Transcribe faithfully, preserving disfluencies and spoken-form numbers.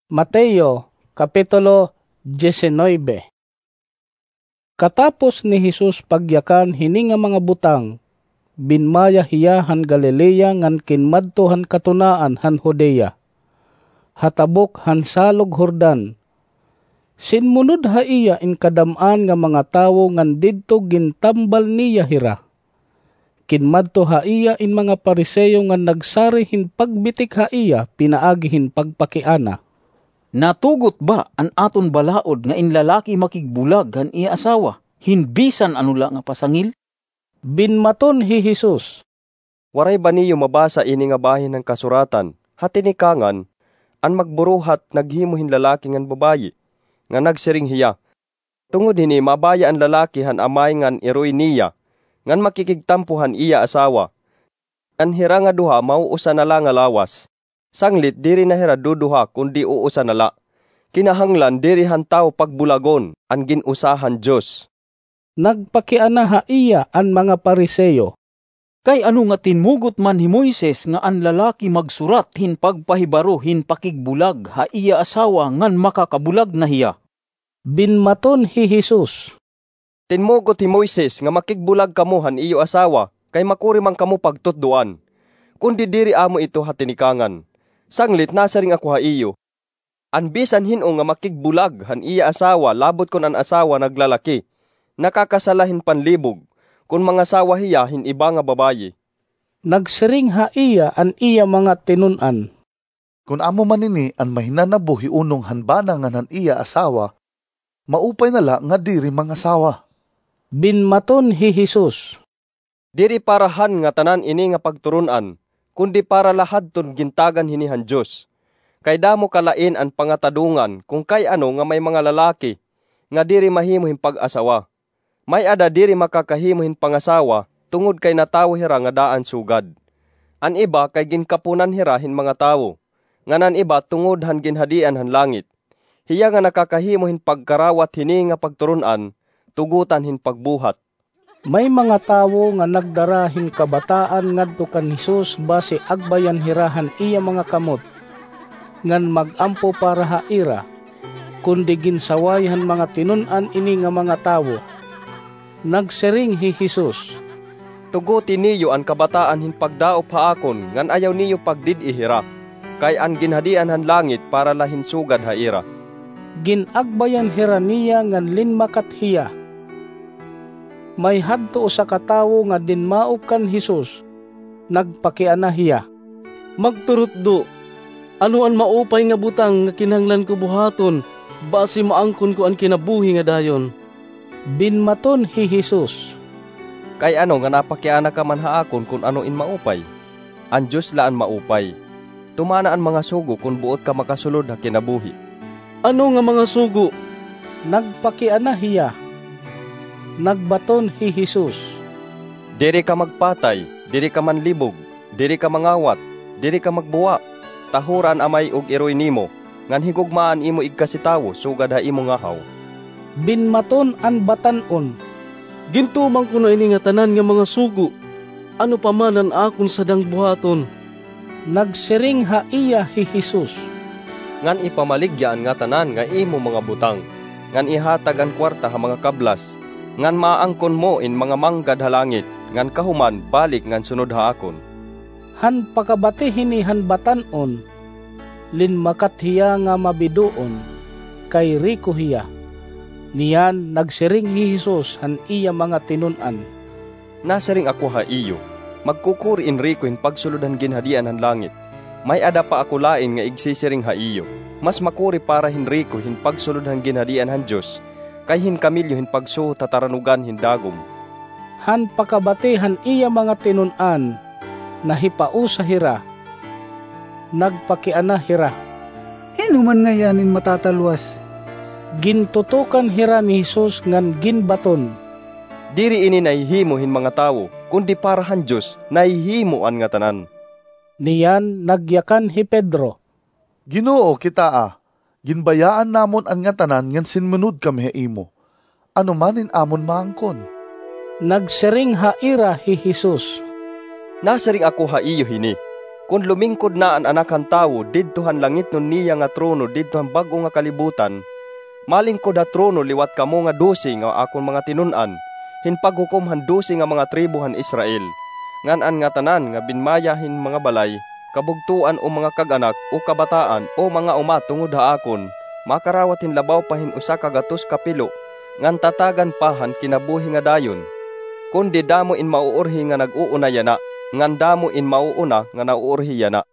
Mateo, Kapitulo diecinuebe. Katapos ni Jesus pagyakan hini nga mga butang, binmaya hiya han Galilea ngan kinmadto han katunaan han Judea, ha tabok han Salog Jordan. Sinmunod ha iya in kadam-an nga mga tawo ngan didto gintambal niya hira. Kinmadto ha iya in mga Fariseo ngan nagsari hin pagbitik ha iya pinaagi hin pagpakiana. "Natugot ba an aton balaod nga in lalaki makigbulag han iya asawa hin bisan ano la nga pasangil?" Binmaton hi Jesus, "Waray ba niyo mabasa ini nga bahin han Kasuratan ha tinikangan, 'An magburuhat naghimo hin lalaki ngan babayi, nga nagsiring hiya, tungod hini mabaya an lalaki han amay ngan iroy niya, ngan makikigtampo han iya asawa, ngan hira nga duha mauusa na la nga lawas'? Sanglit diri na hira duduha kundi uusa na la. Kinahanglan diri han tawo pagbulagon an gin-usa han Dios." Nagpakiana ha iya an mga Fariseo, "Kay ano nga tinmugot man hi Moises nga an lalaki magsurat hin pagpahibaro hin pakigbulag ha iya asawa ngan makakabulag na hiya?" Binmaton hi Jesus, "Tinmugot hi Moises nga makigbulag kamo han iyo asawa kay makuri man kamo pagtutdoan. Kundi diri amo ito ha tinikangan. Sanglit nasiring ako ha iyo, an bisan hin-o nga makigbulag han iya asawa labot kon an asawa naglalaki, nakakasala hin panlibog kon mangasawa hiya hin iba nga babayi." Nagsiring ha iya an iya mga tinun-an, "Kon amo man ini an mahinanabo hi unong han bana ngan han iya asawa, maupay na la nga diri mangasawa." Binmaton hi Jesus, "Diri para han ngatanan ini nga pagturon-an, kundi para la hadton gintagan hini han Dios. Kay damo kalain an pangatadongan kon kay ano nga may mga lalaki nga diri mahimo hin pag-asawa. May-ada diri makakahimo hin pangasawa tungod kay natawo hira nga daan sugad. An iba kay ginkaponan hira hin mga tawo, ngan an iba tungod han Ginhadian han langit. Hiya nga nakakahimo hin pagkarawat hini nga pagturon-an, tugotan hin pagbuhat." May mga tawo nga nagdara hin kabataan ngadto kan Jesus basi agbayan hira han iya mga kamot, ngan mag-ampo para ha ira, kundi ginsaway han mga tinun-an ini nga mga tawo. Nagsiring hi Jesus, "Tugoti niyo an kabataan hin pagdaop ha akon ngan ayaw niyo pagdid-i hira, kay an Ginhadian han langit para la hin sugad ha ira." Gin-agbayan hira niya ngan linmakat hiya. May hadto usa ka tawo nga dinmaop kan Jesus. Nagpakiana hiya, "Magturutdo, ano an maupay nga butang nga kinahanglan ko buhaton basi maangkon ko an kinabuhi nga dayon?" Binmaton hi Jesus, "Kay ano nga napakiana ka man ha akon kon ano in maupay? An Dios la an maupay. Tumana an mga sugo kon buot ka makasulod ha kinabuhi." "Ano nga mga sugo?" nagpakiana hiya. Nagbaton hi Jesus, "Diri ka magpatay, diri ka manlibog, diri ka mangawat, diri ka magbuwa, tahura an amay ug iroy nimo, ngan higugmaa an imo igkasitawo sugad ha imo ngahaw." Binmaton an batan-on, "Gintuman ko na ini ngatanan nga mga sugo. Ano pa man an akon sadang buhaton?" Nagsiring ha iya hi Jesus, "Ngan ipamaligya an ngatanan nga imo mga butang, ngan ihatag an kuwarta ha mga kablas, ngan maaangkon mo in mga manggad ha langit, ngan kahuman balik ngan sunod ha akon." Han pakabati hini han batan-on, linmakat hiya nga mabidoon, kay riko hiya. Niyan nagsiring hi Jesus han iya mga tinun-an, "Nasiring ako ha iyo, magkukuri in riko hin pagsulod han Ginhadian han langit. May-ada pa ako lain nga igsisiring ha iyo, mas makuri para hin riko hin pagsulod han Ginhadian han Dios kay hin kamelyo hin pagsuhot ha taranugan hin dagom." Han pakabati han iya mga tinun-an, nahipausa hira. Nagpakiana hira, "Hin-o man ngay-an in matatalwas?" Gintutukan hira ni Jesus ngan ginbaton, "Diri ini nahihimo hin mga tawo, kundi para han Dios nahihimo an ngatanan." Niyan nagyakan hi Pedro, "Ginoo, kitaa, ginbayaan namon an ngatanan ngan sinmunod kami ha imo. Ano man in amon maangkon?" Nagsiring ha ira hi Jesus, "Nasiring ako ha iyo hini, Kon lumingkod na an Anak han Tawo didto han langitnon niya nga trono didto han bag-o nga kalibutan, malingkod ha trono liwat kamo nga dose nga akon mga tinun-an, hin paghukom han dose nga mga tribo han Israel. Ngan an ngatanan nga binmaya hin mga balay, kabugtoan o mga kag-anak, o kabataan, o mga uma tungod ha akon, makarawat hin labaw pa hin usa ka gatos ka pilo, ngan tatagan pa han kinabuhi nga dayon. Kundi damo in mauurhi nga nag-uuna yana, ngan damo in mauuna nga nauurhi yana.